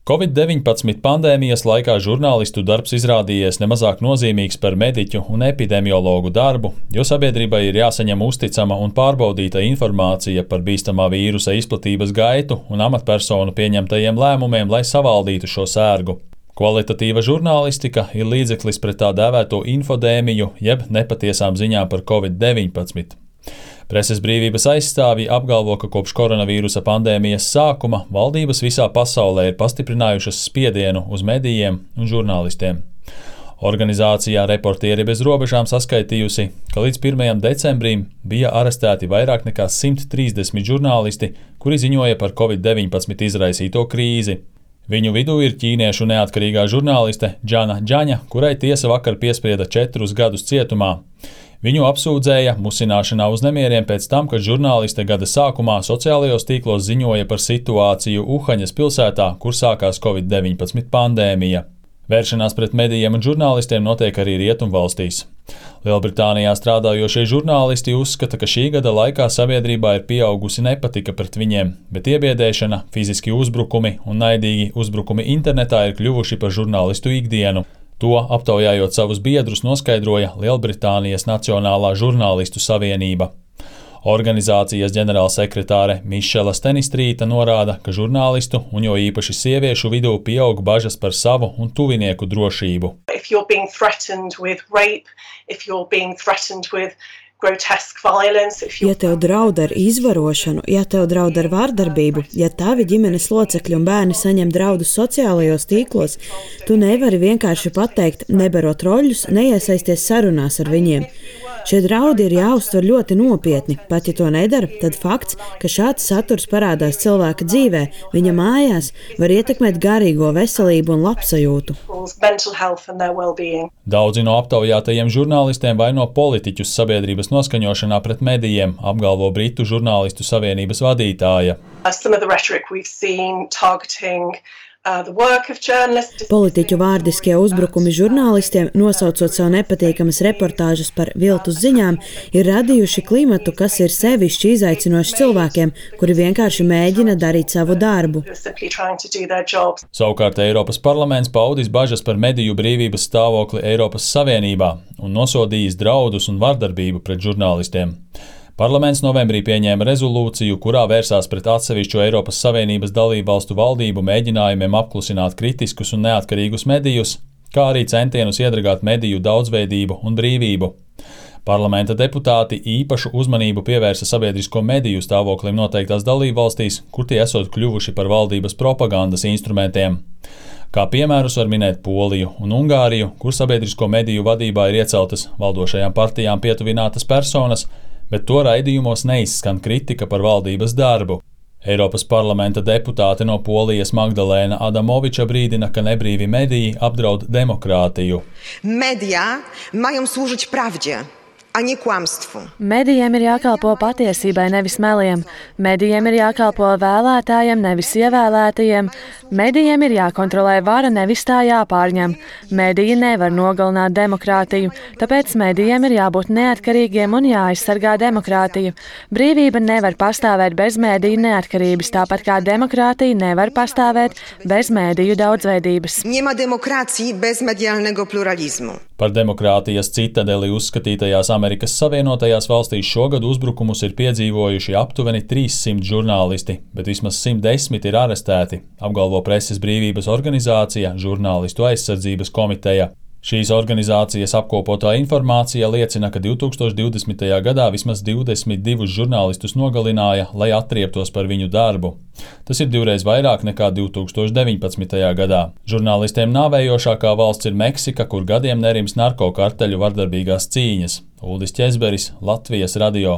Covid-19 pandēmijas laikā žurnālistu darbs izrādījies nemazāk nozīmīgs par mediķu un epidemiologu darbu, jo sabiedrībai ir jāsaņem uzticama un pārbaudīta informācija par bīstamā vīrusa izplatības gaitu un amatpersonu pieņemtajiem lēmumiem, lai savaldītu šo sērgu. Kvalitatīva žurnālistika ir līdzeklis pret tā dēvēto infodēmiju, jeb nepatiesām ziņām par Covid-19. Preses brīvības aizstāvji apgalvo, ka kopš koronavīrusa pandēmijas sākuma valdības visā pasaulē ir pastiprinājušas spiedienu uz medijiem un žurnālistiem. Organizācijā Reportieri bez robežām saskaitījusi, ka līdz 1. decembrim bija arestēti vairāk nekā 130 žurnālisti, kuri ziņoja par Covid-19 izraisīto krīzi. Viņu vidū ir ķīniešu neatkarīgā žurnāliste Džana Džaņa, kurai tiesa vakar piesprieda 4 gadus cietumā. Viņu apsūdzēja musināšanā uz nemieriem pēc tam, kad žurnāliste gada sākumā sociālajos tīklos ziņoja par situāciju Uhaņas pilsētā, kur sākās Covid-19 pandēmija. Vēršanās pret medijiem un žurnālistiem notiek arī Rietumvalstīs. Lielbritānijā strādājošie žurnālisti uzskata, ka šī gada laikā sabiedrībā ir pieaugusi nepatika pret viņiem, bet iebiedēšana, fiziski uzbrukumi un naidīgi uzbrukumi internetā ir kļuvuši par žurnālistu ikdienu. To, aptaujājot savus biedrus, noskaidroja Lielbritānijas Nacionālā žurnālistu savienība. Organizācijas ģenerālsekretāre Mišela Stenistrīta norāda, ka žurnālistu un jo īpaši sieviešu vidū pieaug bažas par savu un tuvinieku drošību. Ja tev draud ar izvarošanu, ja tev draud ar vardarbību, ja tavi ģimenes locekļi un bērni saņem draudus sociālajos tīklos, tu nevari vienkārši pateikt, nebarot roļus, neiesaisties sarunās ar viņiem. Šie draudi ir jāuztver ļoti nopietni. Pat ja to nedara, tad fakts, ka šāds saturs parādās cilvēka dzīvē, viņa mājās, var ietekmēt garīgo veselību un labsajūtu. Daudzi no aptaujātajiem žurnālistiem vaino politiķus sabiedrības noskaņošanā pret medijiem, apgalvo Britu žurnālistu savienības vadītāja. Politiķu vārdiskie uzbrukumi žurnālistiem, nosaucot savu nepatīkamas reportāžas par viltus ziņām, ir radījuši klimatu, kas ir sevišķi izaicinošs cilvēkiem, kuri vienkārši mēģina darīt savu darbu. Savukārt Eiropas parlaments paudis bažas par mediju brīvības stāvokli Eiropas Savienībā un nosodījis draudus un vardarbību pret žurnālistiem. Parlaments novembrī pieņēma rezolūciju, kurā vērsās pret atsevišķu Eiropas Savienības dalībvalstu valdību mēģinājumiem apklusināt kritiskus un neatkarīgus medijus, kā arī centienus iedragāt mediju daudzveidību un brīvību. Parlamenta deputāti īpašu uzmanību pievērsa sabiedrisko mediju stāvoklim noteiktās dalībvalstīs, kur tie esot kļuvuši par valdības propagandas instrumentiem. Kā piemērus var minēt Poliju un Ungāriju, kur sabiedrisko mediju vadībā ir ieceltas valdošajām partijām pietuvinātas personas, bet to raidījumos neizskan kritika par valdības darbu. Eiropas parlamenta deputāte no Polijas Magdalēna Adamoviča brīdina, ka nebrīvi mediji apdraud demokrātiju. Media mają służyć prawdzie, a nie kłamstwu. Medijiem ir jākalpo patiesībai, nevis meliem. Medijiem ir jākalpo vēlētājiem, nevis ievēlētajiem. Medijiem ir jākontrolē vara, nevis tā jāpārņem. Mediji nevar nogalināt demokrātiju, tāpēc medijiem ir jābūt neatkarīgiem un jāaizsargā demokrātiju. Brīvība nevar pastāvēt bez mediju neatkarības, tāpat kā demokrātija nevar pastāvēt bez mediju daudzveidības. Nie ma demokracji bez medialnego pluralizmu. Par demokrātijas citadeli uzskatītajās Amerikas Savienotajās valstīs šogad uzbrukumus ir piedzīvojuši aptuveni 300 žurnālisti, bet vismaz 110 ir arestēti, apgalvo preses brīvības organizācija Žurnālistu aizsardzības komiteja. Šīs organizācijas apkopotā informācija liecina, ka 2020. gadā vismaz 22 žurnālistus nogalināja, lai atrieptos par viņu darbu. Tas ir 2 vairāk nekā 2019. gadā. Žurnālistiem nāvējošākā valsts ir Meksika, kur gadiem nerims narkokarteļu vardarbīgās cīņas. Uldis Ķezberis, Latvijas radio.